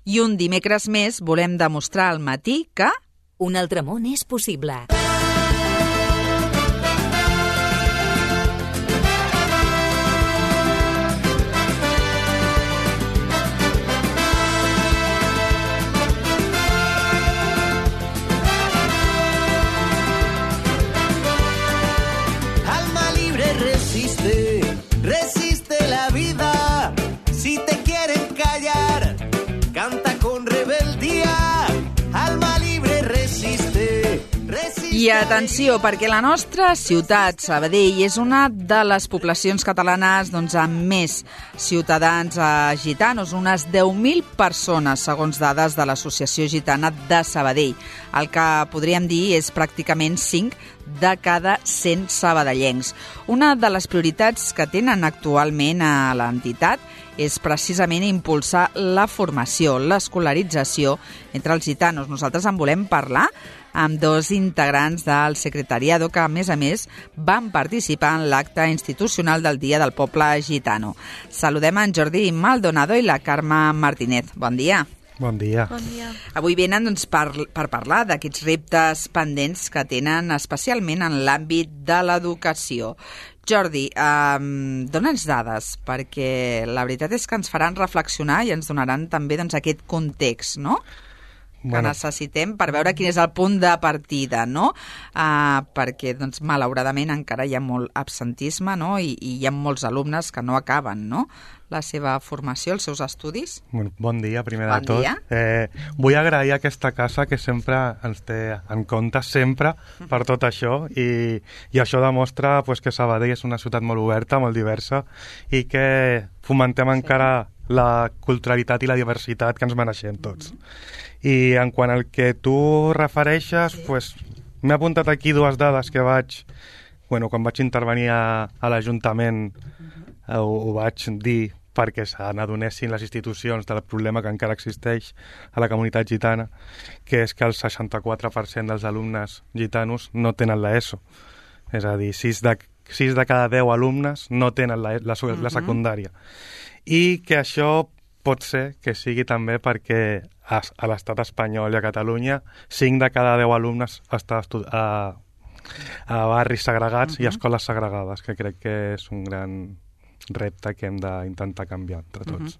I un dimecres més volem demostrar al matí que... Un altre món és possible. Resiste la vida, si te quieren callar, canta con rebeldía, alma libre resiste. I atenció, perquè la nostra ciutat, Sabadell, és una de les poblacions catalanes amb més ciutadans gitanos, unes 10.000 persones, segons dades de l'Associació Gitana de Sabadell. El que podríem dir és pràcticament 5 de cada 100 sabadellencs. Una de les prioritats que tenen actualment a l'entitat és precisament impulsar la formació, l'escolarització entre els gitanos. Nosaltres en volem parlar amb dos integrants del secretariado que, a més, van participar en l'acte institucional del Dia del Poble Gitano. Saludem en Jordi Maldonado i la Carme Martínez. Bon dia. Bon dia. Bon dia. Avui venen per parlar d'aquests reptes pendents que tenen especialment en l'àmbit de l'educació. Jordi, dona'ns dades, perquè la veritat és que ens faran reflexionar i ens donaran també aquest context, no?, que necessitem per veure quin és el punt de partida, no? Perquè, malauradament, encara hi ha molt absentisme, no? I hi ha molts alumnes que no acaben, no?, la seva formació, els seus estudis. Bon dia, primer de tot. Vull agrair a aquesta casa que sempre ens té en compte, sempre, per tot això, i això demostra que Sabadell és una ciutat molt oberta, molt diversa, i que fomentem encara la culturalitat i la diversitat que ens mereixem tots. I en quant al que tu refereixes, m'he apuntat aquí dues dades que quan vaig intervenir a l'Ajuntament, ho vaig dir perquè se n'adonessin les institucions del problema que encara existeix a la comunitat gitana, que és que el 64% dels alumnes gitanos no tenen l'ESO. És a dir, 6 de cada 10 alumnes no tenen la secundària. I que això pot ser que sigui també perquè a l'estat espanyol i a Catalunya 5 de cada 10 alumnes estan a barris segregats i escoles segregades, que crec que és un gran repte que hem d'intentar canviar entre tots.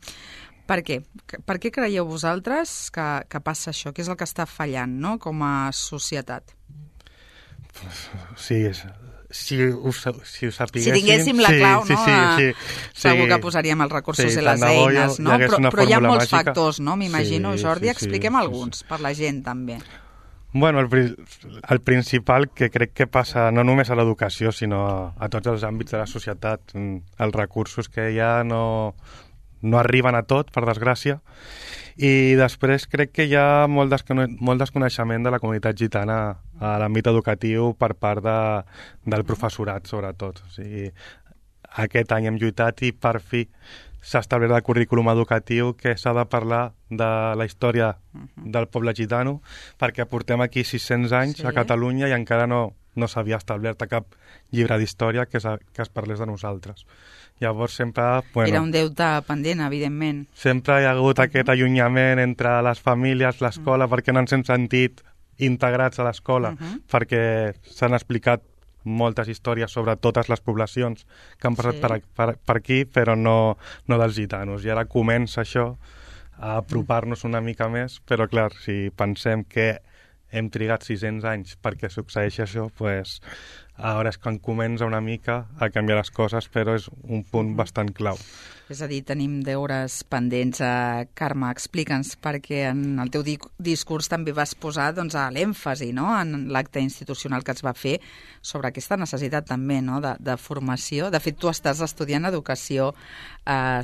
Per què? Per què creieu vosaltres que passa això? Què és el que està fallant, no?, com a societat? Si ho sapiguéssim... Si tinguéssim la clau, no? Sí. Segur que posaríem els recursos i les eines, no? Però hi ha molts factors, no? M'imagino, Jordi, expliquem alguns per la gent, també. Bueno, el principal que crec que passa no només a l'educació, sinó a tots els àmbits de la societat, els recursos que hi ha no arriben a tot, per desgràcia, i després crec que hi ha molt desconeixement de la comunitat gitana a l'àmbit educatiu per part del professorat, sobretot. O sigui, aquest any hem lluitat i per fi s'ha establert el currículum educatiu que s'ha de parlar de la història del poble gitano, perquè portem aquí 600 anys a Catalunya i encara no s'havia establert cap llibre d'història que es parlés de nosaltres. Llavors sempre... Era un deute pendent, evidentment. Sempre hi ha hagut aquest allunyament entre les famílies, l'escola, perquè no ens hem sentit integrats a l'escola, perquè s'han explicat moltes històries sobre totes les poblacions que han passat per aquí, però no dels gitanos. I ara comença això a apropar-nos una mica més, però clar, si pensem que hem trigat 600 anys perquè succeeixi això, doncs ara és quan comença una mica a canviar les coses, però és un punt bastant clau. És a dir, tenim deures pendents. Carme, explica'ns, perquè en el teu discurs també vas posar l'èmfasi, no?, en l'acte institucional que es va fer sobre aquesta necessitat també, no?, de formació. De fet, tu estàs estudiant educació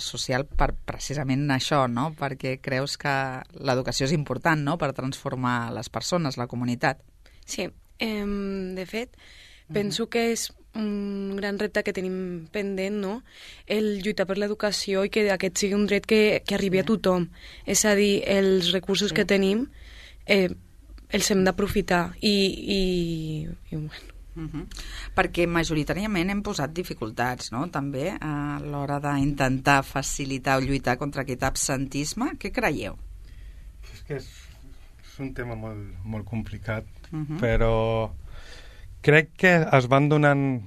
social per precisament això, no?, perquè creus que l'educació és important, no?, per transformar les persones, la comunitat. Sí, de fet, penso que és un gran repte que tenim pendent, no?, el lluitar per l'educació i que aquest sigui un dret que arribi a tothom. És a dir, els recursos que tenim els hem d'aprofitar i bueno. Perquè majoritàriament hem posat dificultats, no?, també a l'hora d'intentar facilitar o lluitar contra aquest absentisme. Què creieu? que és un tema molt complicat, però crec que es van donant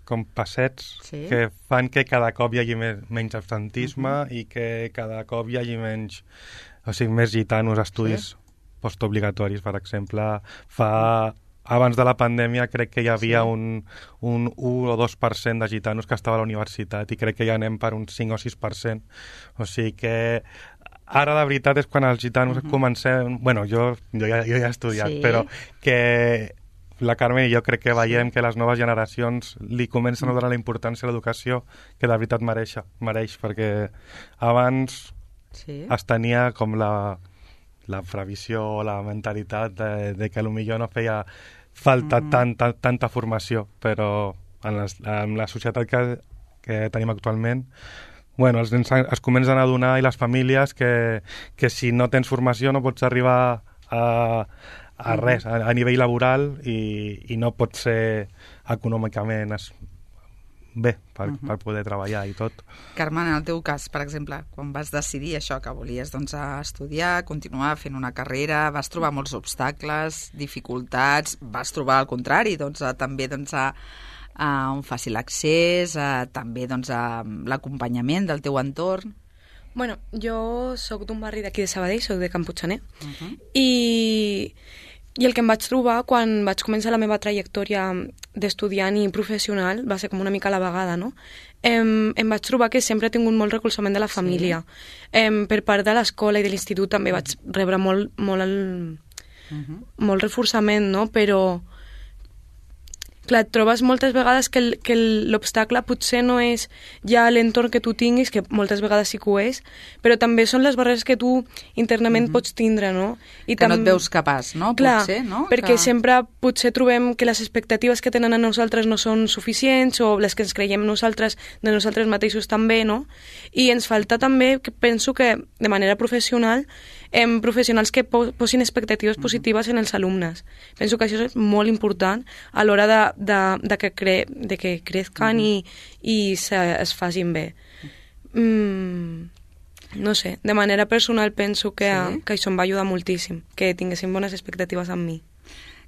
com passets que fan que cada cop hi hagi menys absentisme i que cada cop hi hagi més gitanos a estudis postobligatoris, per exemple. Abans de la pandèmia crec que hi havia un 1 o 2% de gitanos que estava a la universitat i crec que ja anem per un 5 o 6%. O sigui que ara la veritat és quan els gitanos comencem... Bueno, jo ja he estudiat, però que la Carmen i jo crec que veiem que les noves generacions li comencen a donar la importància a l'educació que de veritat mereix, perquè abans es tenia com la previsió o la mentalitat de que potser no feia falta tanta formació, però en la societat que tenim actualment, bueno, els nens es comencen a adonar i les famílies que si no tens formació no pots arribar a res, a nivell laboral i no pots ser econòmicament bé per poder treballar i tot. Carme, en el teu cas, per exemple, quan vas decidir això, que volies estudiar, continuar fent una carrera, vas trobar molts obstacles, dificultats, vas trobar al contrari, també un fàcil accés, també l'acompanyament del teu entorn? Bueno, jo sóc d'un barri d'aquí de Sabadell, sóc de Can Puigxaner, i el que em vaig trobar quan vaig començar la meva trajectòria d'estudiant i professional va ser com una mica a la vegada, no? Em vaig trobar que sempre he tingut molt recolzament de la família. Per part de l'escola i de l'institut també vaig rebre molt reforçament, no? Però clar, et trobes moltes vegades que l'obstacle potser no és ja l'entorn que tu tinguis, que moltes vegades sí que ho és, però també són les barreres que tu internament pots tindre, no? I que no et veus capaç, no? Clar, potser, no? Perquè sempre potser trobem que les expectatives que tenen a nosaltres no són suficients o les que ens creiem nosaltres de nosaltres mateixos també, no? I ens falta també, que penso que de manera professional, professionals que posin expectatives positives en els alumnes. Penso que això és molt important a l'hora de que crezcan i es facin bé. No sé, de manera personal penso que això em va ajudar moltíssim, que tinguessin bones expectatives amb mi.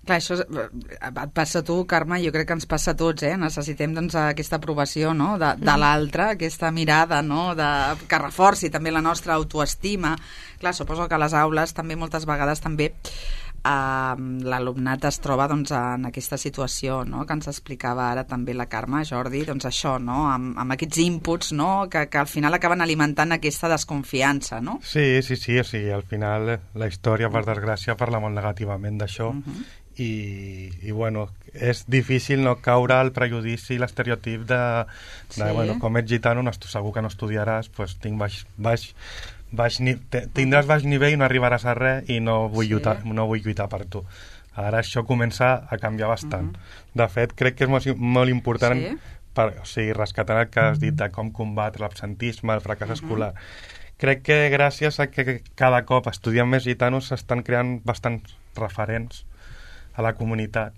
Clar, això et passa a tu, Carme, jo crec que ens passa a tots, necessitem aquesta aprovació, no? de l'altre, aquesta mirada, no? Que reforci també la nostra autoestima. Clar, suposo que a les aules també moltes vegades també l'alumnat es troba en aquesta situació, no? Que ens explicava ara també la Carme, Jordi, això, no? Amb aquests inputs, no? Que al final acaben alimentant aquesta desconfiança, no? Sí, o sigui, al final la història, per desgràcia, parla molt negativament d'això. I bueno, és difícil no caure al prejudici i l'estereotip de bueno, com ets gitano, segur que no estudiaràs, doncs tindràs baix nivell i no arribaràs a res i no vull lluitar per tu. Ara això comença a canviar bastant. De fet, crec que és molt important rescatar el que has dit de com combatre l'absentisme, el fracàs escolar. Crec que gràcies a que cada cop estudien més gitanos s'estan creant bastants referents a la comunitat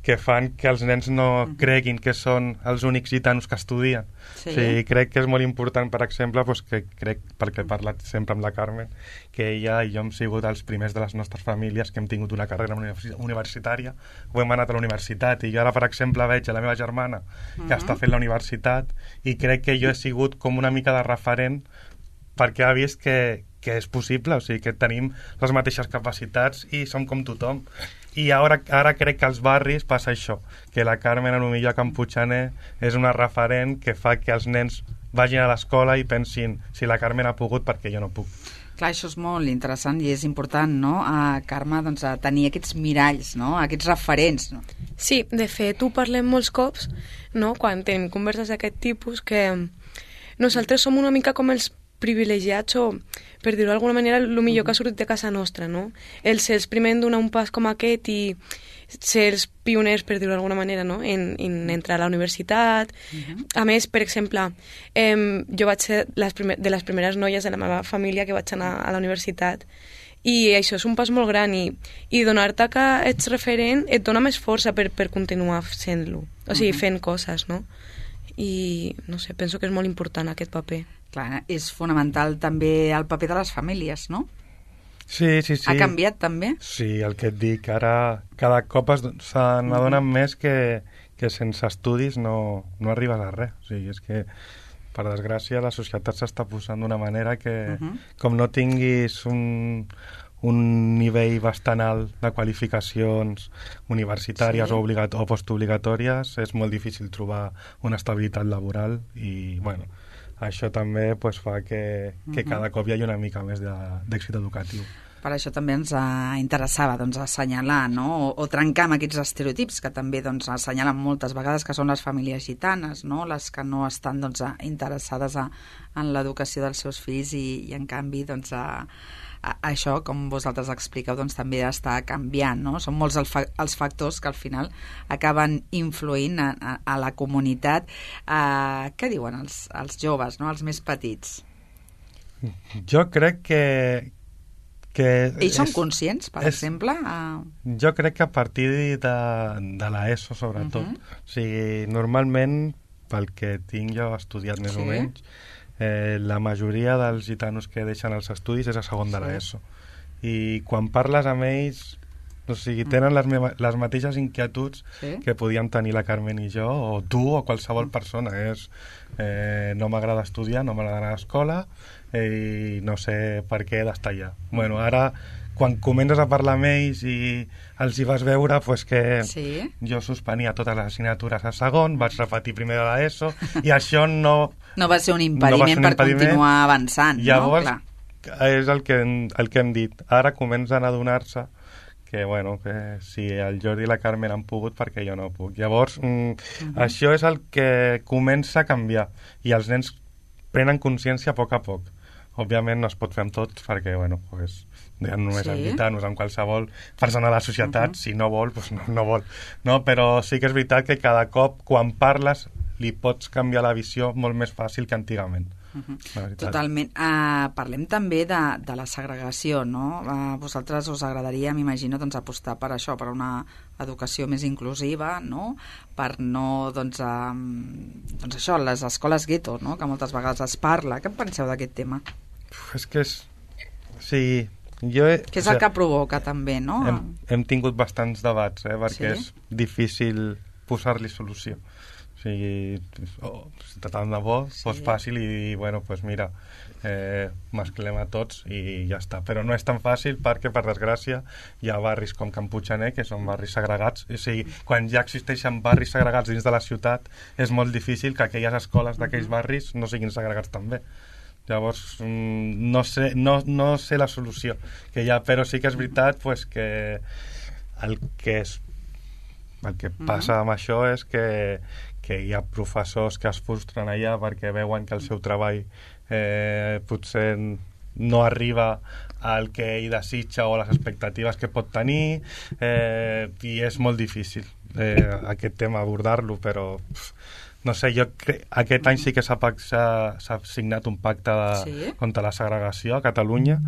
que fan que els nens no creguin que són els únics gitanos que estudien. O sigui, crec que és molt important, per exemple, que crec, perquè he parlat sempre amb la Carmen, que ella i jo hem sigut els primers de les nostres famílies que hem tingut una carrera universitària, o hem anat a la universitat, i jo ara, per exemple, veig a la meva germana que està fent la universitat i crec que jo he sigut com una mica de referent perquè ha vist que és possible, o sigui, que tenim les mateixes capacitats i som com tothom. I ara crec que als barris passa això, que la Carmen potser a Can Puigxaner és una referent que fa que els nens vagin a l'escola i pensin, si la Carmen ha pogut, perquè jo no puc. Clar, això és molt interessant i és important, no, Carme, a tenir aquests miralls, no, aquests referents. No? Sí, de fet, ho parlem molts cops, no, quan tenim converses d'aquest tipus, que nosaltres som una mica com els privilegiats o, per dir-ho d'alguna manera, el millor que ha sortit de casa nostra, no? El ser els primers en donar un pas com aquest i ser els pioners, per dir-ho d'alguna manera, no? En entrar a la universitat. A més, per exemple, jo vaig ser de les primeres noies de la meva família que vaig anar a la universitat i això és un pas molt gran i donar-te que ets referent et dona més força per continuar sent-lo, o sigui, fent coses, no? I, no sé, penso que és molt important aquest paper. Clar, és fonamental també el paper de les famílies, no? Sí. Ha canviat també? Sí, el que et dic, ara cada cop se n'adonen més que sense estudis no arribes a res. O sigui, és que, per desgràcia, la societat s'està posant d'una manera que, com no tinguis un nivell bastant alt de qualificacions universitàries o postobligatòries, és molt difícil trobar una estabilitat laboral i, bueno, això també fa que cada cop hi hagi una mica més d'èxit educatiu. Per això també ens interessava assenyalar, no? o trencar amb aquests estereotips que també assenyalen moltes vegades, que són les famílies gitanes, no? Les que no estan interessades en l'educació dels seus fills i en canvi això, com vosaltres expliqueu, també està canviant, no? Són molts els factors que al final acaben influint a la comunitat. Què diuen els joves, no? Els més petits? Jo crec que ells són conscients, per exemple? Jo crec que a partir de l'ESO, sobretot. O sigui, normalment, pel que tinc jo estudiat més o menys, la majoria dels gitanos que deixen els estudis és a segon de l'ESO. I quan parles amb ells, o sigui, tenen les mateixes inquietuds que podíem tenir la Carmen i jo, o tu, o qualsevol persona. No m'agrada estudiar, no m'agrada anar a l'escola, i no sé per què he d'estar allà. Bueno, ara, quan comences a parlar amb ells i els hi vas veure, que jo suspenia totes les assignatures a segon, vaig repetir primer de l'ESO, i això no va ser un impediment per continuar avançant. Llavors, és el que hem dit. Ara comencen a adonar-se que si el Jordi i la Carmen han pogut, perquè jo no puc. Llavors, això és el que comença a canviar, i els nens prenen consciència a poc a poc. Òbviament no es pot fer amb tots, perquè, ja només amb gitanos, amb qualsevol persona de la societat, si no vol, no vol. No? Però sí que és veritat que cada cop, quan parles, li pots canviar la visió molt més fàcil que antigament. Totalment. Parlem també de la segregació, no? A vosaltres us agradaria, m'imagino, apostar per això, per una educació més inclusiva, no? Per no, això, les escoles gueto, no? Que moltes vegades es parla. Què en penseu d'aquest tema? És que sí, que és el que provoca també, no? Hem tingut bastants debats, perquè és difícil posar-li solució. O sigui, tant de bo fos fàcil i, mira, mesclem a tots i ja està. Però no és tan fàcil perquè, per desgràcia, hi ha barris com Can Puiggener, que són barris segregats. O sigui, quan ja existeixen barris segregats dins de la ciutat, és molt difícil que aquelles escoles d'aquells barris no siguin segregats també. Llavors, no sé la solució que hi ha, però sí que és veritat que el que passa amb això és que hi ha professors que es frustren allà perquè veuen que el seu treball potser no arriba al que ell desitja o a les expectatives que pot tenir, i és molt difícil aquest tema abordar-lo, però no sé, jo crec aquest any sí que s'ha signat un pacte contra la segregació a Catalunya,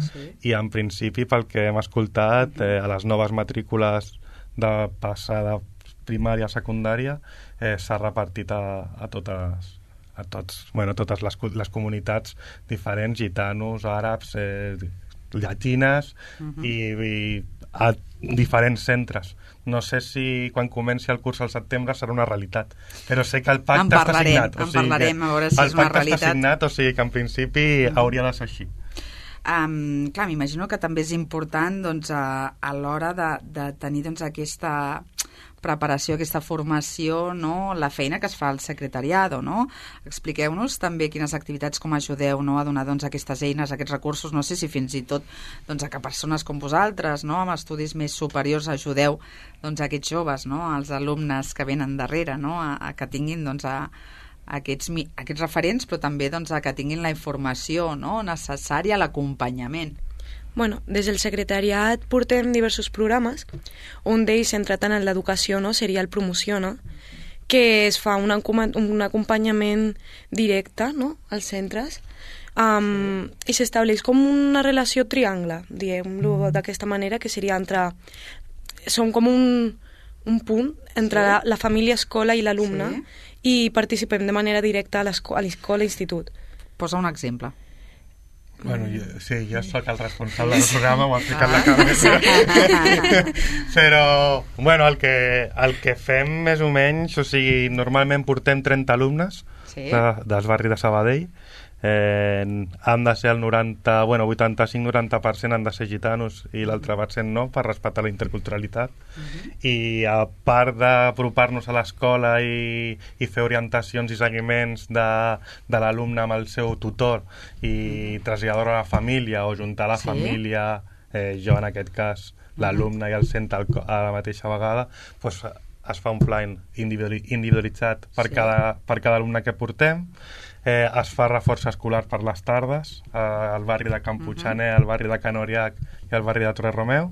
i en principi, pel que hem escoltat, a les noves matrícules de passada primària a secundària s'ha repartit a totes les comunitats diferents, gitanos, àrabs, llatines, i a diferents centres. No sé si quan comenci el curs al setembre serà una realitat, però sé que el pacte està signat. En parlarem, a veure si és una realitat. El pacte està signat, o sigui que en principi hauria de ser així. Clar, m'imagino que també és important a l'hora de tenir aquesta preparació, aquesta formació, no? La feina que es fa al secretariado, no? Expliqueu-nos també quines activitats, com ajudeu, no? A donar aquestes eines, aquests recursos, no sé si fins i tot a que persones com vosaltres, no? Amb estudis més superiors ajudeu aquests joves, no? Els alumnes que venen darrere, no? A que tinguin aquests referents, però també a que tinguin la informació, no? Necessària, l'acompanyament. Bueno, des del secretariat portem diversos programes. Un d'ells centrat en l'educació, no? Seria el Promociona, que es fa un acompanyament directe, no? Als centres, i s'estableix com una relació triangle, diguem-ho d'aquesta manera, que seria són com un punt entre la família, escola i l'alumne, i participem de manera directa a l'escola i institut. Posa un exemple. Bueno, jo sóc el responsable del programa, ho ha explicat la Carme. Però, bueno, el que fem més o menys, o sigui, normalment portem 30 alumnes del barri de Sabadell. Han de ser el 85-90% han de ser gitanos i l'altre % no, per respectar la interculturalitat. I a part d'apropar-nos a l'escola i fer orientacions i seguiments de l'alumne amb el seu tutor i traslladar a la família o juntar la família, jo en aquest cas l'alumne i el centre a la mateixa vegada, doncs es fa un pla individualitzat per cada alumne que portem. Es fa reforç escolar per les tardes al barri de Can Puiggener, al barri de Can Oriac i al barri de Torre Romeu,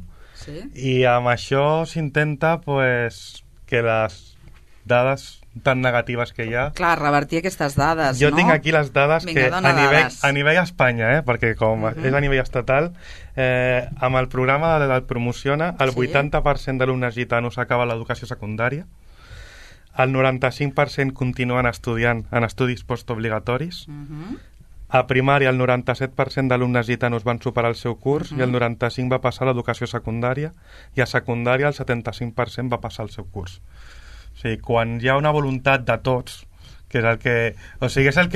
i amb això s'intenta que les dades tan negatives que hi ha... Clar, revertir aquestes dades, jo tinc aquí les dades que a nivell Espanya, perquè com és a nivell estatal, amb el programa del Promociona, el 80% d'alumnes gitanos acaba l'educació secundària, el 95% continuen estudiant en estudis postobligatoris, a primària el 97% d'alumnes gitanos van superar el seu curs i el 95% va passar a l'educació secundària, i a secundària el 75% va passar el seu curs. O sigui, quan hi ha una voluntat de tots, que és el que... O sigui, és el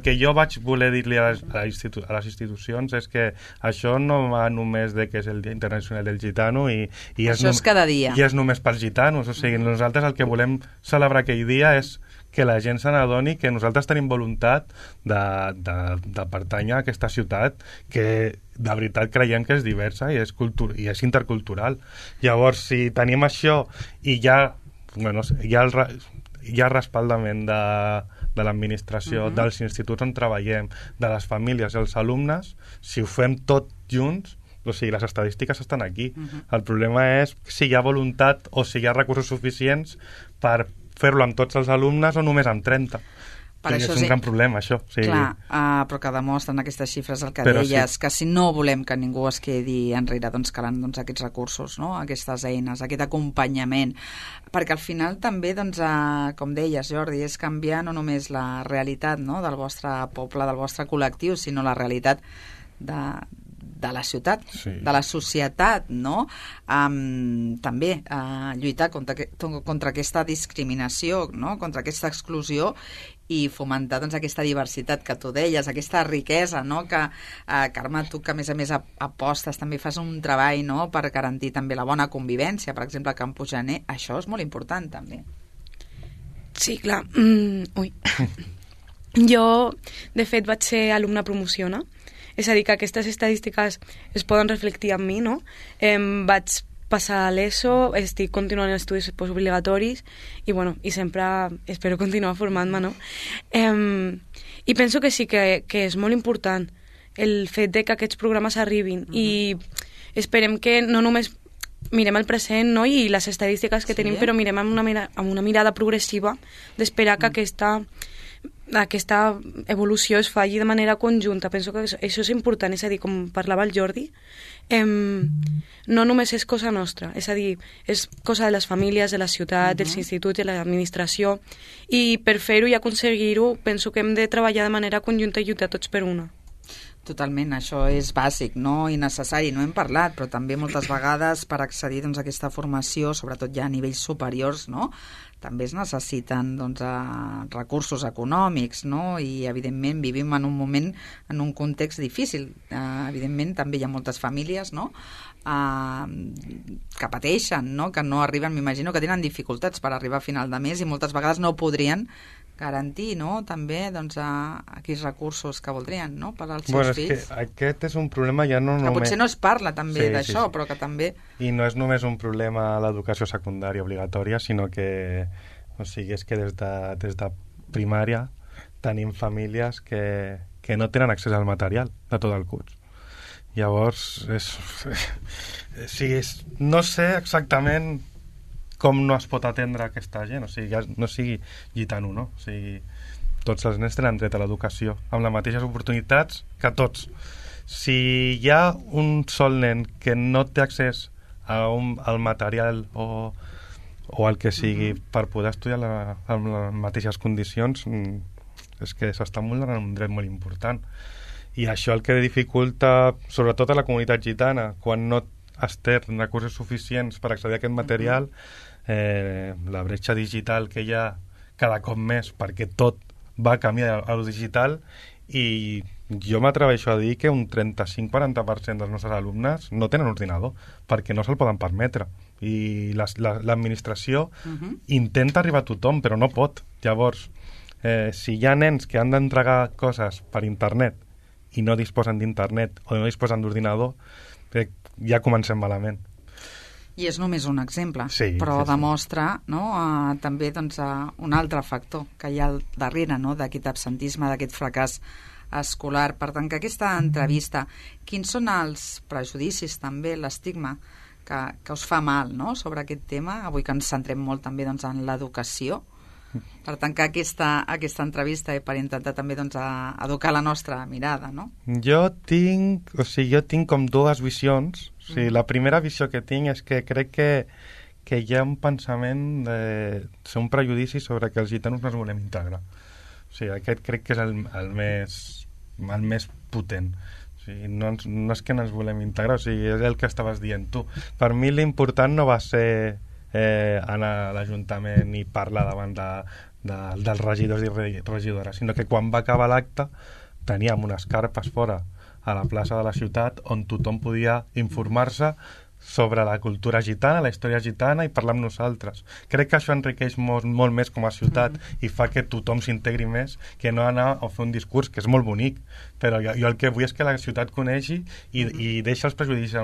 que jo vaig voler dir-li a les institucions, és que això no va només de que és el Dia Internacional del Gitano i això és cada dia. I és només pels gitanos. O sigui, nosaltres el que volem celebrar aquell dia és que la gent se n'adoni que nosaltres tenim voluntat de pertànyer a aquesta ciutat que de veritat creiem que és diversa i és intercultural. Llavors, si tenim això i hi ha respaldament de l'administració, dels instituts on treballem, de les famílies i els alumnes, si ho fem tot junts, o sigui, les estadístiques estan aquí. El problema és si hi ha voluntat o si hi ha recursos suficients per fer-lo amb tots els alumnes o només amb 30. És un gran problema, això. Clar, però que demostren aquestes xifres el que deies, que si no volem que ningú es quedi enrere, doncs calen aquests recursos, no? Aquestes eines, aquest acompanyament, perquè al final també, com deies, Jordi, és canviar no només la realitat del vostre poble, del vostre col·lectiu, sinó la realitat de la ciutat, de la societat, no? També lluitar contra aquesta discriminació, no? Contra aquesta exclusió i fomentar aquesta diversitat que tu deies, aquesta riquesa, no? Que, Carme, tu que a més apostes, també fas un treball, no? Per garantir també la bona convivència, per exemple, a Can Puiggener, això és molt important també. Sí, clar. Jo, de fet, vaig ser alumna Promociona, és a dir, que aquestes estadístiques es poden reflectir en mi, no? Vaig passar a l'ESO, estic continuant en estudis postobligatoris i sempre espero continuar formant-me, no? I penso que sí que és molt important el fet de que aquests programes arribin i esperem que no només mirem el present, no? I les estadístiques que tenim, però mirem amb una mirada progressiva d'esperar que aquesta evolució es faci de manera conjunta. Penso que això és important, és a dir, com parlava el Jordi, no només és cosa nostra, és a dir, és cosa de les famílies, de la ciutat, dels instituts, de l'administració, i per fer-ho i aconseguir-ho penso que hem de treballar de manera conjunta i lluitar tots per una. Totalment, això és bàsic, no? I necessari, no hem parlat, però també moltes vegades per accedir a aquesta formació, sobretot ja a nivells superiors, no? També es necessiten recursos econòmics, no? I evidentment vivim en un moment, en un context difícil. Evidentment també hi ha moltes famílies, no? Que pateixen, no? Que no arriben, m'imagino que tenen dificultats per arribar a final de mes i moltes vegades no podrien garantir, no? També aquells recursos que voldrien, no? Per als seus fills. És que aquest és un problema ja no només... Que potser no es parla també d'això, però que també... I no és només un problema a l'educació secundària obligatòria, sinó que, és que des de primària tenim famílies que no tenen accés al material de tot el curs. Llavors, no sé exactament com no es pot atendre aquesta gent, no sigui gitano, no? Tots els nens tenen dret a l'educació, amb les mateixes oportunitats que tots. Si hi ha un sol nen que no té accés al material o el que sigui per poder estudiar en les mateixes condicions, és que s'està vulnerant un dret molt important. I això el que dificulta, sobretot a la comunitat gitana, quan no es té recursos suficients per accedir a aquest material, la bretxa digital que hi ha cada cop més, perquè tot va camí a lo digital, i jo m'atreveixo a dir que un 35-40% dels nostres alumnes no tenen ordinador, perquè no se'l poden permetre. I l'administració intenta arribar a tothom, però no pot. Llavors, si hi ha nens que han d'entregar coses per internet i no disposen d'internet o no disposen d'ordinador, ja comencem malament. I és només un exemple, sí, però sí. demostra, no, també doncs, un altre factor que hi ha al darrere, no, d'aquest absentisme, d'aquest fracàs escolar. Per tancar aquesta entrevista, quins són els prejudicis, també l'estigma que us fa mal, no, sobre aquest tema, avui que ens centrem molt també doncs, en l'educació? Per tancar aquesta entrevista i per intentar també doncs, educar la nostra mirada, no? Jo tinc com dues visions. O sigui, la primera visió que tinc és que crec que hi ha un pensament ser un prejudici sobre que els gitanos no es volem integrar. O sigui, aquest crec que és el més potent. O sigui, no és que no ens volem integrar, o sigui, és el que estaves dient tu. Per mi l'important no va ser anar a l'Ajuntament i parlar davant dels regidors i regidores, sinó que quan va acabar l'acte teníem unes carpes fora a la plaça de la ciutat on tothom podia informar-se sobre la cultura gitana, la història gitana i parlar amb nosaltres. Crec que això enriqueix molt més com a ciutat i fa que tothom s'integri més que no anar a fer un discurs que és molt bonic, però jo el que vull és que la ciutat coneixi i deixa els prejudicis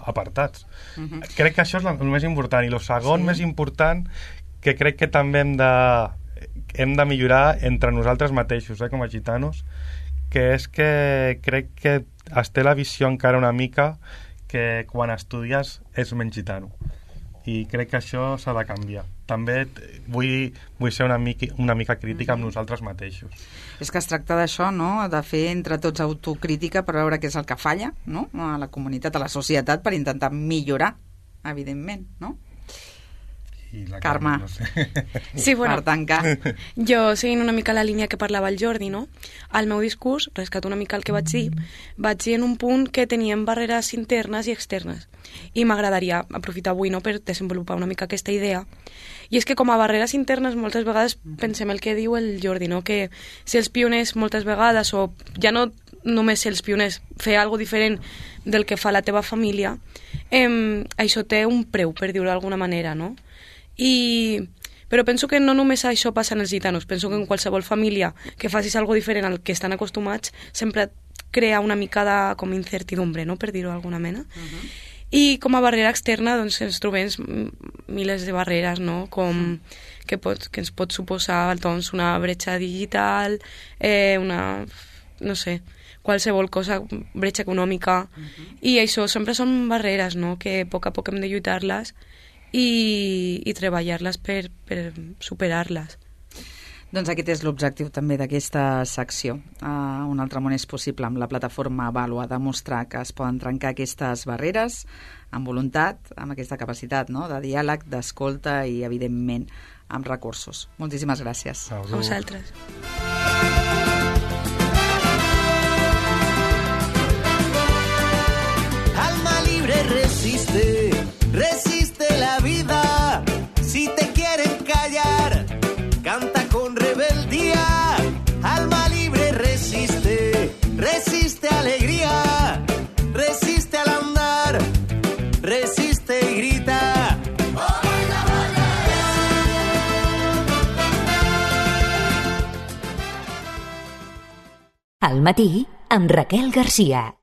apartats. Crec que això és el més important. I el segon més important, que crec que també hem de millorar entre nosaltres mateixos, com a gitanos, que és que crec que es té la visió encara una mica que quan estudies és menys gitano. I crec que això s'ha de canviar. També vull ser una mica crítica amb nosaltres mateixos. És que es tracta d'això, no?, de fer entre tots autocrítica per veure què és el que falla, no?, a la comunitat, a la societat, per intentar millorar, evidentment, no? Carme, no sé. Sí, bueno, per tancar. Jo, seguint una mica la línia que parlava el Jordi, no? Al meu discurs, rescato una mica el que vaig dir en un punt que teníem barreres internes i externes. I m'agradaria aprofitar avui, no?, per desenvolupar una mica aquesta idea. I és que com a barreres internes moltes vegades pensem el que diu el Jordi, no?, que si els pioners moltes vegades, o ja no només ser els pioners, fer alguna diferent del que fa la teva família, això té un preu, per dir-ho d'alguna manera, no? Però penso que no només això passa en els gitanos, penso que en qualsevol família que facis alguna diferent al que estan acostumats sempre crea una mica de com incertidumbre, no?, per dir-ho d'alguna mena. I com a barrera externa doncs, ens trobem milers de barreres, no?, com que ens pot suposar doncs, una bretxa digital, no sé, qualsevol cosa, bretxa econòmica, i això sempre són barreres, no?, que a poc hem de lluitar-les i treballar-les per superar-les. Doncs aquest és l'objectiu també d'aquesta secció. Un altre món és possible amb la plataforma Vàlua, demostrar que es poden trencar aquestes barreres amb voluntat, amb aquesta capacitat, no?, de diàleg, d'escolta i, evidentment, amb recursos. Moltíssimes gràcies. A vosaltres. Alma libre resiste, resiste la vida. Si te quieren callar, canta con rebeldía. Alma libre resiste, resiste alegría, resiste al andar, resiste y grita. Al matí amb Raquel Garcia.